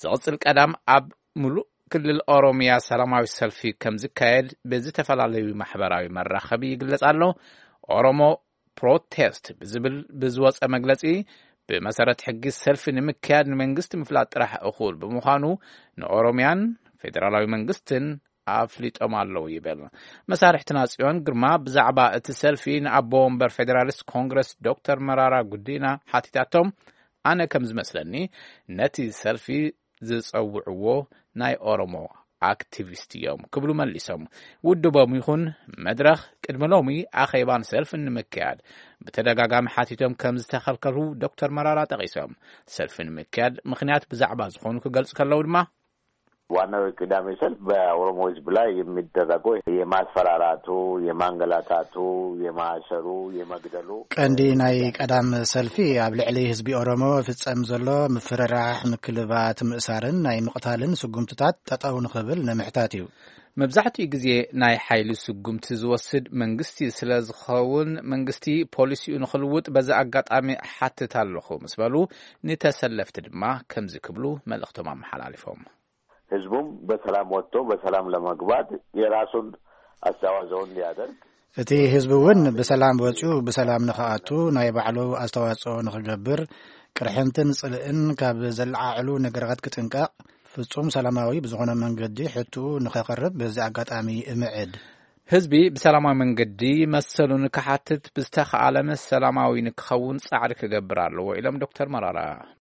ዝቕጽል ቀዳም ኣብ ሙሉእ ክልል ኦሮሚያ ሰላማዊ ሰልፊ ከም ዝካየድ ብዝተፈላለዩ ማሕበራዊ መራኸቢ ይግለጽ ኣሎ። ኦሮሞ ፕሮቴስት ብዝብል ብዝወጸ መግለጺ፣ ብመሰረት ሕጊ ሰልፊ ንምክያድ ንመንግስቲ ምፍላጥ ጥራሕ እኹል ብምዃኑ፣ ንኦሮሚያን ፌደራላዊ መንግስትን ኣፍሊጦም ኣለዉ ይብል። መሳርሕትና ጽዮን ግርማ ብዛዕባ እቲ ሰልፊ ንኣቦ ወንበር ፌደራሊስት ኮንግረስ ዶክተር መራራ ጉዲና ሓቲታቶም፣ ኣነ ከም ዝመስለኒ ነቲ ሰልፊ ዝጸውዕዎ ናይ ኦሮሞ ኣክቲቪስት እዮም ክብሉ መሊሶም። ውድቦም ይኹን መድረኽ ቅድሚ ሎሚ ኣኼባን ሰልፍን ንምክያድ ብተደጋጋሚ ሓቲቶም ከም ዝተኸልከሉ ዶክተር መራራ ጠቒሶም። ሰልፊ ንምክያድ ምኽንያት ብዛዕባ ዝኾኑ ክገልጹ ከለዉ ድማ፣ ዋናው የቅዳሜ ሰልፍ በኦሮሞ ህዝብ ላይ የሚደረገው የማስፈራራቱ፣ የማንገላታቱ፣ የማሰሩ፣ የመግደሉ ቀንዲ ናይ ቀዳም ሰልፊ ኣብ ልዕሊ ህዝቢ ኦሮሞ ፍጸም ዘሎ ምፍርራሕ፣ ምክልባት፣ ምእሳርን ናይ ምቕታልን ስጉምትታት ጠጠው ንኽብል ንምሕታት እዩ። መብዛሕትኡ ግዜ ናይ ሓይሊ ስጉምቲ ዝወስድ መንግስቲ ስለ ዝኸውን፣ መንግስቲ ፖሊሲኡ ንኽልውጥ በዚ ኣጋጣሚ እሓትት ኣለኹ ምስ በሉ፣ ንተሰለፍቲ ድማ ከምዚ ክብሉ መልእኽቶም ኣመሓላሊፎም። ህዝቡም በሰላም ወጥቶ በሰላም ለመግባት የራሱን አስተዋጽኦ እንዲያደርግ። እቲ ህዝቢ እውን ብሰላም ወጺኡ ብሰላም ንኽኣቱ ናይ ባዕሉ ኣስተዋጽኦ ንኽገብር፣ ቅርሕንትን ጽልእን ካብ ዘለዓዕሉ ነገራት ክጥንቀቕ፣ ፍጹም ሰላማዊ ብዝኾነ መንገዲ ሕትኡ ንኸቕርብ በዚ ኣጋጣሚ እምዕድ። ህዝቢ ብሰላማዊ መንገዲ መሰሉ ንክሓትት፣ ብዝተኻእለ ሰላማዊ ንክኸውን ጻዕሪ ክገብር ኣለዎ ኢሎም ዶክተር መራራ።